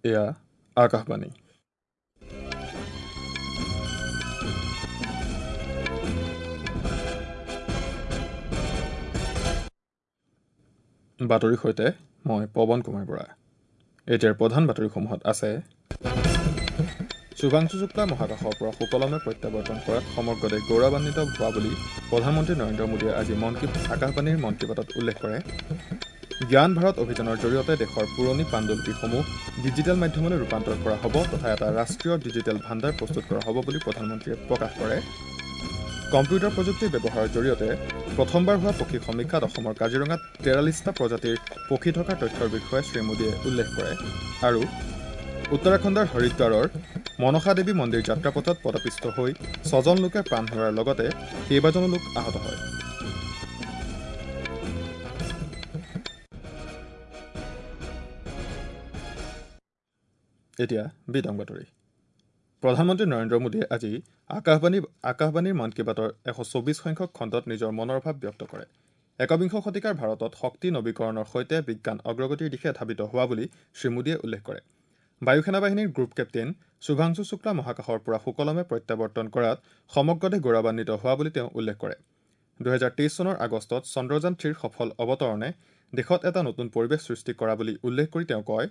এয়া আকাশবাণী। বাতৰিৰ সৈতে মই পৱন কুমাৰ বৰা। এতিয়াৰ প্ৰধান বাতৰিসমূহত আছে: শুভাংশু শুক্লা মহাকাশৰ পৰা সুকলমে প্ৰত্যাৱৰ্তন কৰাত সমগ্ৰ দেশ গৌৰৱান্বিত হোৱা বুলি প্ৰধানমন্ত্ৰী নৰেন্দ্ৰ মোদীয়ে আজি মন কী আকাশবাণীৰ মন কী বাতত উল্লেখ কৰে। জ্ঞান ভাৰত অভিযানৰ জৰিয়তে দেশৰ পুৰণি পাণ্ডুলিপিসমূহ ডিজিটেল মাধ্যমলৈ ৰূপান্তৰ কৰা হ'ব তথা এটা ৰাষ্ট্ৰীয় ডিজিটেল ভাণ্ডাৰ প্ৰস্তুত কৰা হ'ব বুলি প্ৰধানমন্ত্ৰীয়ে প্ৰকাশ কৰে। কম্পিউটাৰ প্ৰযুক্তিৰ ব্যৱহাৰৰ জৰিয়তে প্ৰথমবাৰ হোৱা পক্ষী সমীক্ষাত অসমৰ কাজিৰঙাত 43টা প্ৰজাতিৰ পক্ষী থকাৰ তথ্যৰ বিষয়ে শ্ৰীমোদীয়ে উল্লেখ কৰে। আৰু উত্তৰাখণ্ডৰ হৰিদ্বাৰৰ মনসা দেৱী মন্দিৰ যাত্ৰাপথত পদপিষ্ট হৈ 6জন লোকে প্ৰাণ হেৰুওৱাৰ লগতে কেইবাজনো লোক আহত হয়। এতিয়া বিতং বাতৰি। প্ৰধানমন্ত্ৰী নৰেন্দ্ৰ মোদীয়ে আজি আকাশবাণীৰ মন কী বাতৰ 124 সংখ্যক খণ্ডত নিজৰ মনৰ ভাৱ ব্যক্ত কৰে। একবিংশ শতিকাৰ ভাৰতত শক্তি নবীকৰণৰ সৈতে বিজ্ঞান অগ্ৰগতিৰ দিশে ধাৱিত হোৱা বুলি শ্ৰীমোদীয়ে উল্লেখ কৰে। বায়ুসেনা বাহিনীৰ গ্ৰুপ কেপ্টেইন শুভাংশু শুক্লা মহাকাশৰ পৰা সুকলমে প্ৰত্যাৱৰ্তন কৰাত সমগ্ৰ দেশ গৌৰৱান্বিত হোৱা বুলি তেওঁ উল্লেখ কৰে। 2023 চনৰ আগষ্টত চন্দ্ৰযান 3ৰ সফল অৱতৰণে দেশত এটা নতুন পৰিৱেশ সৃষ্টি কৰা বুলি উল্লেখ কৰি তেওঁ কয়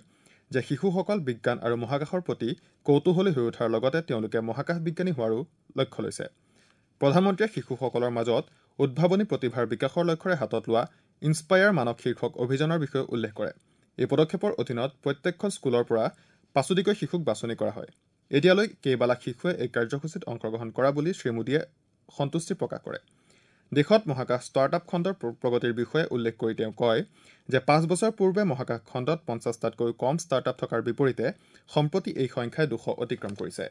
যে শিশুসকল বিজ্ঞান আৰু মহাকাশৰ প্ৰতি কৌতূহলী হৈ উঠাৰ লগতে তেওঁলোকে মহাকাশ বিজ্ঞানী হোৱাৰো লক্ষ্য লৈছে। প্ৰধানমন্ত্ৰীয়ে শিশুসকলৰ মাজত উদ্ভাৱনী প্ৰতিভাৰ বিকাশৰ লক্ষ্যৰে হাতত লোৱা ইনস্পায়াৰ মানৱ শীৰ্ষক অভিযানৰ বিষয়ে উল্লেখ কৰে। এই পদক্ষেপৰ অধীনত প্ৰত্যেকখন স্কুলৰ পৰা 5টিকৈ শিশুক বাছনি কৰা হয়। এতিয়ালৈ কেইবালাখ শিশুৱে এই কাৰ্যসূচীত অংশগ্ৰহণ কৰা বুলি শ্ৰীমোদীয়ে সন্তুষ্টি প্ৰকাশ কৰে। দেশত মহাকাশ ষ্টাৰ্টআপ খণ্ডৰ প্ৰগতিৰ বিষয়ে উল্লেখ কৰি তেওঁ কয় যে 5 বছৰ পূৰ্বে মহাকাশ খণ্ডত 50টাতকৈ কম ষ্টাৰ্টআপ থকাৰ বিপৰীতে সম্প্ৰতি এই সংখ্যাই 200 অতিক্ৰম কৰিছে।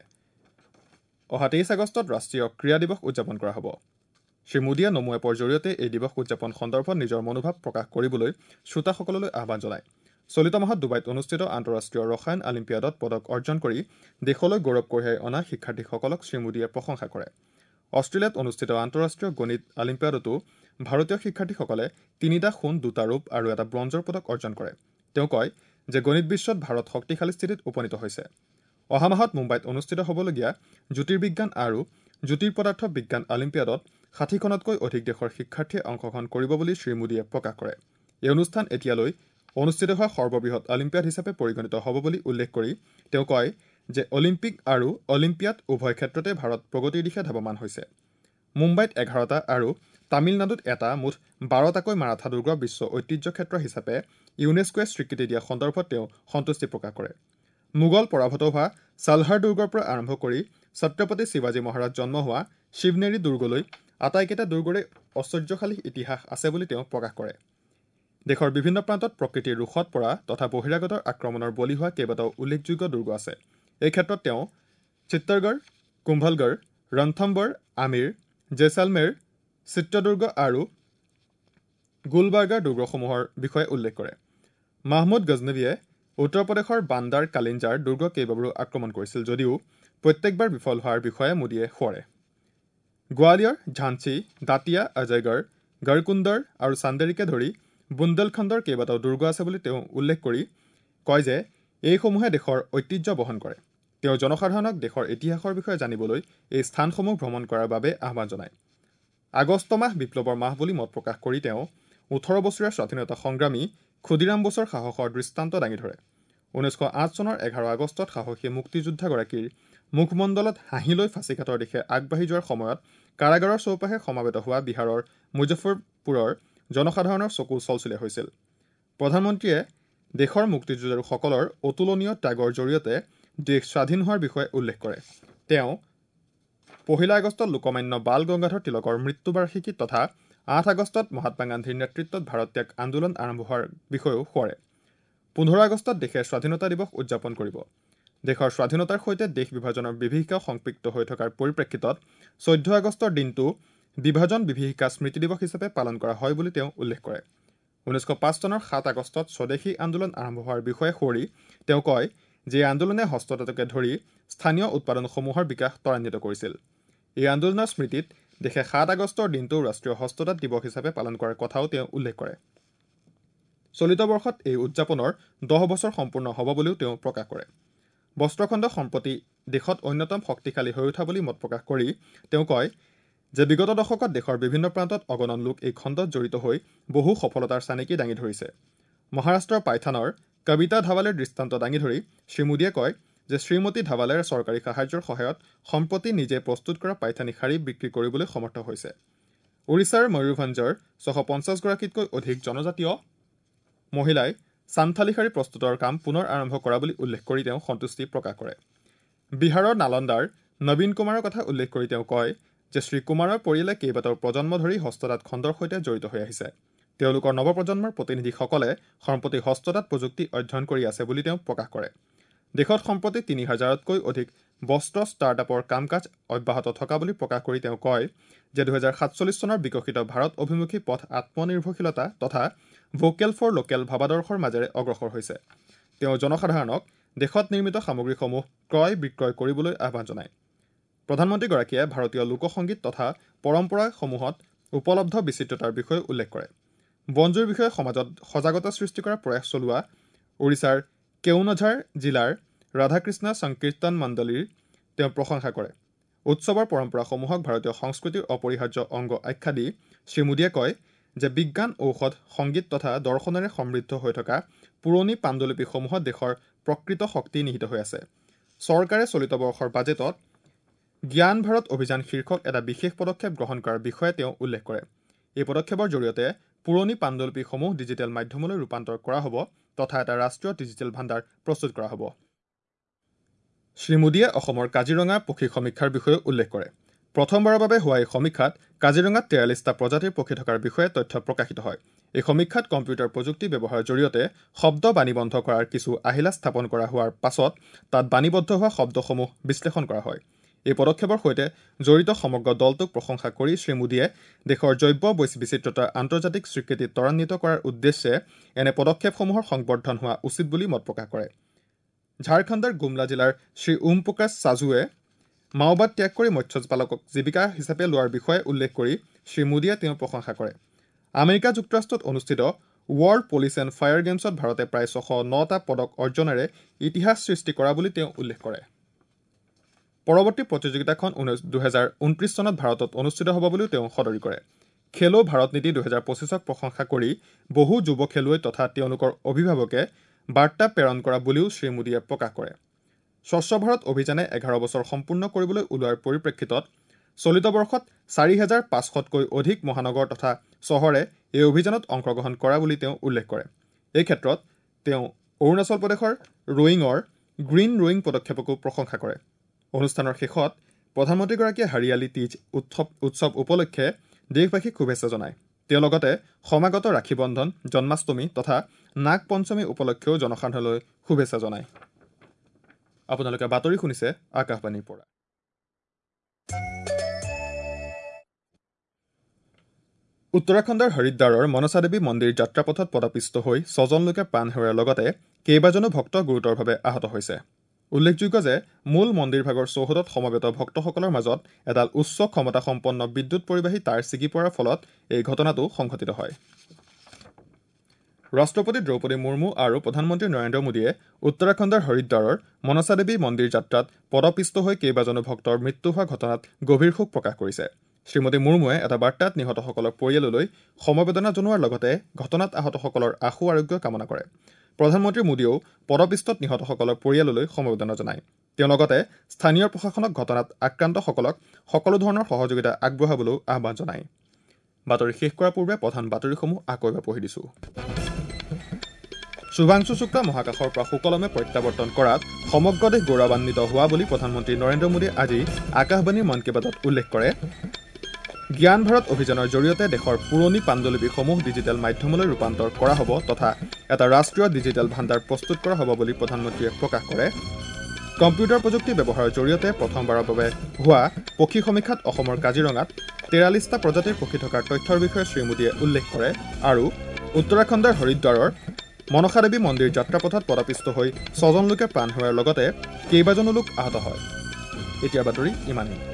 অহা 23 আগষ্টত ৰাষ্ট্ৰীয় ক্ৰীড়া দিৱস উদযাপন কৰা হ'ব। শ্ৰীমোদীয়ে নমো এপৰ জৰিয়তে এই দিৱস উদযাপন সন্দৰ্ভত নিজৰ মনোভাৱ প্ৰকাশ কৰিবলৈ শ্ৰোতাসকললৈ আহ্বান জনায়। চলিত মাহত ডুবাইত অনুষ্ঠিত আন্তঃৰাষ্ট্ৰীয় ৰসায়ন অলিম্পিয়াডত পদক অৰ্জন কৰি দেশলৈ গৌৰৱ কঢ়িয়াই অনা শিক্ষাৰ্থীসকলক শ্ৰীমোদীয়ে প্ৰশংসা কৰে। অষ্ট্ৰেলিয়াত অনুষ্ঠিত আন্তঃৰাষ্ট্ৰীয় গণিত অলিম্পিয়াডতো ভাৰতীয় শিক্ষাৰ্থীসকলে 3টা সোণ, 2টা ৰূপ আৰু এটা ব্ৰঞ্জৰ পদক অৰ্জন কৰে। তেওঁ কয় যে গণিত বিশ্বত ভাৰত শক্তিশালী স্থিতিত উপনীত হৈছে। অহা মাহত মুম্বাইত অনুষ্ঠিত হ'বলগীয়া জ্যোতিৰ্বিজ্ঞান আৰু জ্যোতিৰ্পদাৰ্থ বিজ্ঞান অলিম্পিয়াডত 60খনতকৈ অধিক দেশৰ শিক্ষাৰ্থীয়ে অংশগ্ৰহণ কৰিব বুলি শ্ৰীমোদীয়ে প্ৰকাশ কৰে। এই অনুষ্ঠান এতিয়ালৈ অনুষ্ঠিত হোৱা সৰ্ববৃহৎ অলিম্পিয়াড হিচাপে পৰিগণিত হ'ব বুলি উল্লেখ কৰি তেওঁ কয় যে অলিম্পিক আৰু অলিম্পিয়াড উভয় ক্ষেত্ৰতে ভাৰত প্ৰগতিৰ দিশে ধাৱমান হৈছে। মুম্বাইত 11টা আৰু তামিলনাডুত এটা মুঠ 12টাকৈ মাৰাঠা দুৰ্গ বিশ্ব ঐতিহ্য ক্ষেত্ৰ হিচাপে ইউনেস্কোৱে স্বীকৃতি দিয়া সন্দৰ্ভত তেওঁ সন্তুষ্টি প্ৰকাশ কৰে। মোগল পৰাভূত হোৱা চালহাৰ দুৰ্গৰ পৰা আৰম্ভ কৰি ছত্ৰপতি শিৱাজী মহাৰাজ জন্ম হোৱা শিৱনেৰী দুৰ্গলৈ আটাইকেইটা দুৰ্গৰে ঐশ্বৰ্যশালী ইতিহাস আছে বুলি তেওঁ প্ৰকাশ কৰে। দেশৰ বিভিন্ন প্ৰান্তত প্ৰকৃতিৰ ৰোষত পৰা তথা বহিৰাগতৰ আক্ৰমণৰ বলি হোৱা কেইবাটাও উল্লেখযোগ্য দুৰ্গ আছে। এই ক্ষেত্ৰত তেওঁ চিত্তৰগড়, কুম্ভলগড়, ৰণথম্বৰ, আমিৰ, জেছালমেৰ, চিত্ৰদুৰ্গ আৰু গুলবাৰ্গাৰ দুৰ্গসমূহৰ বিষয়ে উল্লেখ কৰে। মাহমুদ গজনবীয়ে উত্তৰ প্ৰদেশৰ বান্দাৰ কালিঞ্জাৰ দুৰ্গ কেইবাবাৰো আক্ৰমণ কৰিছিল যদিও প্ৰত্যেকবাৰ বিফল হোৱাৰ বিষয়ে মোদীয়ে সোঁৱৰে। গোৱালিয়ৰ, ঝান্সী, দাতিয়া, অজয়গড়, গড়কুন্দৰ আৰু চান্দেৰীকে ধৰি বুন্দেলখণ্ডৰ কেইবাটাও দুৰ্গ আছে বুলি তেওঁ উল্লেখ কৰি কয় যে এইসমূহে দেশৰ ঐতিহ্য বহন কৰে। তেওঁ জনসাধাৰণক দেশৰ ইতিহাসৰ বিষয়ে জানিবলৈ এই স্থানসমূহ ভ্ৰমণ কৰাৰ বাবে আহ্বান জনায়। আগষ্ট মাহ বিপ্লৱৰ মাহ বুলি মত প্ৰকাশ কৰি তেওঁ 18 বছৰীয়া স্বাধীনতা সংগ্ৰামী ক্ষুদিৰাম বসুৰ সাহসৰ দৃষ্টান্ত দাঙি ধৰে। 1908 চনৰ 11 আগষ্টত সাহসী মুক্তিযোদ্ধাগৰাকীৰ মুখমণ্ডলত হাঁহি লৈ ফাঁচীকাঠৰ দিশে আগবাঢ়ি যোৱাৰ সময়ত কাৰাগাৰৰ চৌপাশে সমাবেত হোৱা বিহাৰৰ মুজফ্ফৰপুৰৰ জনসাধাৰণৰ চকু চলচলীয়া হৈছিল। প্ৰধানমন্ত্ৰীয়ে দেশৰ মুক্তিযুঁজাৰুসকলৰ অতুলনীয় ত্যাগৰ জৰিয়তে দেশ স্বাধীন হোৱাৰ বিষয়ে উল্লেখ কৰে। তেওঁ 1 আগষ্টত লোকমান্য বাল গংগাধৰ তিলকৰ মৃত্যুবাৰ্ষিকী তথা 8 আগষ্টত মহাত্মা গান্ধীৰ নেতৃত্বত ভাৰত ত্যাগ আন্দোলন আৰম্ভ হোৱাৰ বিষয়েও সোঁৱৰে। 15 আগষ্টত দেশে স্বাধীনতা দিৱস উদযাপন কৰিব। দেশৰ স্বাধীনতাৰ সৈতে দেশ বিভাজনৰ বিভীষিকা সংপৃক্ত হৈ থকাৰ পৰিপ্ৰেক্ষিতত 14 আগষ্টৰ দিনটো বিভাজন বিভীষিকা স্মৃতি দিৱস হিচাপে পালন কৰা হয় বুলি তেওঁ উল্লেখ কৰে। 1905 চনৰ 7 আগষ্টত স্বদেশী আন্দোলন আৰম্ভ হোৱাৰ বিষয়ে সোঁৱৰি তেওঁ কয় যে এই আন্দোলনে হস্ততাঁতকে ধৰি স্থানীয় উৎপাদনসমূহৰ বিকাশ ত্বৰান্বিত কৰিছিল। এই আন্দোলনৰ স্মৃতিত দেশে 7 আগষ্টৰ দিনটো ৰাষ্ট্ৰীয় হস্ততাঁত দিৱস হিচাপে পালন কৰাৰ কথাও তেওঁ উল্লেখ কৰে। চলিত বৰ্ষত এই উদযাপনৰ 10 বছৰ সম্পূৰ্ণ হ'ব বুলিও তেওঁ প্ৰকাশ কৰে। বস্ত্ৰখণ্ড সম্প্ৰতি দেশত অন্যতম শক্তিশালী হৈ উঠা বুলি মত প্ৰকাশ কৰি তেওঁ কয় যে বিগত দশকত দেশৰ বিভিন্ন প্ৰান্তত অগণন লোক এই খণ্ডত জড়িত হৈ বহু সফলতাৰ চানেকি দাঙি ধৰিছে। মহাৰাষ্ট্ৰৰ পাইথানৰ কবিতা ধাৱালেৰ দৃষ্টান্ত দাঙি ধৰি শ্ৰী মোদীয়ে কয় যে শ্ৰীমতী ধাৱালেৰ চৰকাৰী সাহায্যৰ সহায়ত সম্প্ৰতি নিজে প্ৰস্তুত কৰা পাইথানী শাৰী বিক্ৰী কৰিবলৈ সমৰ্থ হৈছে। ওড়িশাৰ ময়ূৰভঞ্জৰ 650 গৰাকীতকৈ অধিক জনজাতীয় মহিলাই চান্থালী শাৰী প্ৰস্তুতৰ কাম পুনৰ আৰম্ভ কৰা বুলি উল্লেখ কৰি তেওঁ সন্তুষ্টি প্ৰকাশ কৰে। বিহাৰৰ নালন্দাৰ নবীন কুমাৰৰ কথা উল্লেখ কৰি তেওঁ কয় যে শ্ৰী কুমাৰৰ পৰিয়ালে কেইবাটাও প্ৰজন্ম ধৰি হস্ততাঁত খণ্ডৰ সৈতে জড়িত হৈ আহিছে। তেওঁলোকৰ নৱপ্ৰজন্মৰ প্ৰতিনিধিসকলে সম্প্ৰতি হস্ততাঁত প্ৰযুক্তি অধ্যয়ন কৰি আছে বুলি তেওঁ প্ৰকাশ কৰে। দেশত সম্প্ৰতি 3000তকৈ অধিক বস্ত্ৰ ষ্টাৰ্টআপৰ কাম কাজ অব্যাহত থকা বুলি প্ৰকাশ কৰি তেওঁ কয় যে 2047 চনৰ বিকশিত ভাৰত অভিমুখী পথ আত্মনিৰ্ভৰশীলতা তথা ভোকেল ফৰ লোকেল ভাৱাদৰ্শৰ মাজেৰে অগ্ৰসৰ হৈছে। তেওঁ জনসাধাৰণক দেশত নিৰ্মিত সামগ্ৰীসমূহ ক্ৰয় বিক্ৰয় কৰিবলৈ আহ্বান জনায়। প্ৰধানমন্ত্ৰীগৰাকীয়ে ভাৰতীয় লোকসংগীত তথা পৰম্পৰাসমূহত উপলব্ধ বিচিত্ৰতাৰ বিষয়ে উল্লেখ কৰে। বনজুইৰ বিষয়ে সমাজত সজাগতা সৃষ্টি কৰাৰ প্ৰয়াস চলোৱা ওড়িশাৰ কেওনঝাৰ জিলাৰ ৰাধাকৃষ্ণ সংকীৰ্তন মণ্ডলীৰ তেওঁ প্ৰশংসা কৰে। উৎসৱৰ পৰম্পৰাসমূহক ভাৰতীয় সংস্কৃতিৰ অপৰিহাৰ্য অংগ আখ্যা দি শ্ৰী মোদীয়ে কয় যে বিজ্ঞান, ঔষধ, সংগীত তথা দৰ্শনেৰে সমৃদ্ধ হৈ থকা পুৰণি পাণ্ডুলিপিসমূহত দেশৰ প্ৰকৃত শক্তি নিহিত হৈ আছে। চৰকাৰে চলিত বৰ্ষৰ বাজেটত জ্ঞান ভাৰত অভিযান শীৰ্ষক এটা বিশেষ পদক্ষেপ গ্ৰহণ কৰাৰ বিষয়ে তেওঁ উল্লেখ কৰে। এই পদক্ষেপৰ জৰিয়তে পুৰণি পাণ্ডুলিপিসমূহ ডিজিটেল মাধ্যমলৈ ৰূপান্তৰ কৰা হ'ব তথা এটা ৰাষ্ট্ৰীয় ডিজিটেল ভাণ্ডাৰ প্ৰস্তুত কৰা হ'ব। শ্ৰী মোদীয়ে অসমৰ কাজিৰঙা পক্ষী সমীক্ষাৰ বিষয়েও উল্লেখ কৰে। প্ৰথমবাৰৰ বাবে হোৱা এই সমীক্ষাত কাজিৰঙাত 43টা প্ৰজাতিৰ পক্ষী থকাৰ বিষয়ে তথ্য প্ৰকাশিত হয়। এই সমীক্ষাত কম্পিউটাৰ প্ৰযুক্তি ব্যৱহাৰৰ জৰিয়তে শব্দ বাণীবন্ধ কৰাৰ কিছু আহিলা স্থাপন কৰা হোৱাৰ পাছত তাত বাণীবদ্ধ হোৱা শব্দসমূহ বিশ্লেষণ কৰা হয়। এই পদক্ষেপৰ সৈতে জড়িত সমগ্ৰ দলটোক প্ৰশংসা কৰি শ্ৰী মোদীয়ে দেশৰ জৈৱ বৈচিত্ৰতাৰ আন্তৰ্জাতিক স্বীকৃতি ত্বৰান্বিত কৰাৰ উদ্দেশ্যে এনে পদক্ষেপসমূহৰ সংবৰ্ধন হোৱা উচিত বুলি মত প্ৰকাশ কৰে। ঝাৰখণ্ডৰ গুমলা জিলাৰ শ্ৰী ওম প্ৰকাশ সাজুৱে মাওবাদ ত্যাগ কৰি মৎস্যপালকক জীৱিকা হিচাপে লোৱাৰ বিষয়ে উল্লেখ কৰি শ্ৰী মোদীয়ে তেওঁৰ প্ৰশংসা কৰে। আমেৰিকা যুক্তৰাষ্ট্ৰত অনুষ্ঠিত ৱৰ্ল্ড পুলিচ এণ্ড ফায়াৰ গেমছত ভাৰতে প্ৰায় 609টা পদক অৰ্জনেৰে ইতিহাস সৃষ্টি কৰা বুলি তেওঁ উল্লেখ কৰে। পৰৱৰ্তী প্ৰতিযোগিতাখন 2029 চনত ভাৰতত অনুষ্ঠিত হ'ব বুলিও তেওঁ সদৰি কৰে। খেলো ভাৰত নীতি 2025ক প্ৰশংসা কৰি বহু যুৱ খেলুৱৈ তথা তেওঁলোকৰ অভিভাৱকে বাৰ্তা প্ৰেৰণ কৰা বুলিও শ্ৰী মোদীয়ে প্ৰকাশ কৰে। স্বচ্ছ ভাৰত অভিযানে 11 বছৰ সম্পূৰ্ণ কৰিবলৈ ওলোৱাৰ পৰিপ্ৰেক্ষিতত চলিত বৰ্ষত 4500তকৈ অধিক মহানগৰ তথা চহৰে এই অভিযানত অংশগ্ৰহণ কৰা বুলি তেওঁ উল্লেখ কৰে। এই ক্ষেত্ৰত তেওঁ অৰুণাচল প্ৰদেশৰ ৰোয়িঙৰ গ্ৰীণ ৰোয়িং পদক্ষেপকো প্ৰশংসা কৰে। অনুষ্ঠানৰ শেষত প্ৰধানমন্ত্ৰীগৰাকীয়ে হাৰিয়ালী তীজ উৎসৱ উপলক্ষে দেশবাসীক শুভেচ্ছা জনায়। তেওঁ লগতে সমাগত ৰাখী বন্ধন, জন্মাষ্টমী তথা নাগ পঞ্চমী উপলক্ষেও জনসাধাৰণলৈ শুভেচ্ছা জনায়। আপোনালোকে বাতৰি শুনিছে আকাশবাণীৰ পৰা। উত্তৰাখণ্ডৰ হৰিদ্বাৰৰ মনসা দেৱী মন্দিৰ যাত্ৰাপথত পদপিষ্ট হৈ 6জন লোকে প্ৰাণ হেৰুওৱাৰ লগতে কেইবাজনো ভক্ত গুৰুতৰভাৱে আহত হৈছে। উল্লেখযোগ্য যে মূল মন্দিৰভাগৰ চৌহদত সমবেত ভক্তসকলৰ মাজত এডাল উচ্চ ক্ষমতাসম্পন্ন বিদ্যুৎ পৰিবাহী তাঁৰ ছিগি পৰাৰ ফলত এই ঘটনাটো সংঘটিত হয়। ৰাষ্ট্ৰপতি দ্ৰৌপদী মুৰ্মু আৰু প্ৰধানমন্ত্ৰী নৰেন্দ্ৰ মোদীয়ে উত্তৰাখণ্ডৰ হৰিদ্বাৰৰ মনসা দেৱী মন্দিৰ যাত্ৰাত পদপিষ্ট হৈ কেইবাজনো ভক্তৰ মৃত্যু হোৱা ঘটনাত গভীৰ শোক প্ৰকাশ কৰিছে। শ্ৰীমতী মুৰ্মুৱে এটা বাৰ্তাত নিহতসকলৰ পৰিয়াললৈ সমবেদনা জনোৱাৰ লগতে ঘটনাত আহতসকলৰ আশু আৰোগ্য কামনা কৰে। প্ৰধানমন্ত্ৰী মোদীয়েও পদপিষ্টত নিহতসকলৰ পৰিয়াললৈ সমবেদনা জনায়। তেওঁ লগতে স্থানীয় প্ৰশাসনক ঘটনাত আক্ৰান্তসকলক সকলো ধৰণৰ সহযোগিতা আগবঢ়াবলৈও আহ্বান জনায়। বাতৰি শেষ কৰাৰ পূৰ্বে প্ৰধান বাতৰিসমূহ আকৌ এবাৰ পঢ়ি দিছোঁ। শুভাংশু শুক্লা মহাকাশৰ পৰা সুকলমে প্ৰত্যাৱৰ্তন কৰাত সমগ্ৰ দেশ গৌৰৱান্বিত হোৱা বুলি প্ৰধানমন্ত্ৰী নৰেন্দ্ৰ মোদীয়ে আজি আকাশবাণীৰ মন কী বাতত উল্লেখ কৰে। জ্ঞান ভাৰত অভিযানৰ জৰিয়তে দেশৰ পুৰণি পাণ্ডুলিপিসমূহ ডিজিটেল মাধ্যমলৈ ৰূপান্তৰ কৰা হ'ব তথা এটা ৰাষ্ট্ৰীয় ডিজিটেল ভাণ্ডাৰ প্ৰস্তুত কৰা হ'ব বুলি প্ৰধানমন্ত্ৰীয়ে প্ৰকাশ কৰে। কম্পিউটাৰ প্ৰযুক্তি ব্যৱহাৰৰ জৰিয়তে প্ৰথমবাৰৰ বাবে হোৱা পক্ষী সমীক্ষাত অসমৰ কাজিৰঙাত 43টা প্ৰজাতিৰ পক্ষী থকাৰ তথ্যৰ বিষয়ে শ্ৰী মোদীয়ে উল্লেখ কৰে। আৰু উত্তৰাখণ্ডৰ হৰিদ্বাৰৰ মনসা দেৱী মন্দিৰ যাত্ৰাপথত পদপিষ্ট হৈ 6জন লোকে প্ৰাণ হেৰুওৱাৰ লগতে কেইবাজনো লোক আহত হয়। এতিয়া বাতৰি ইমানেই।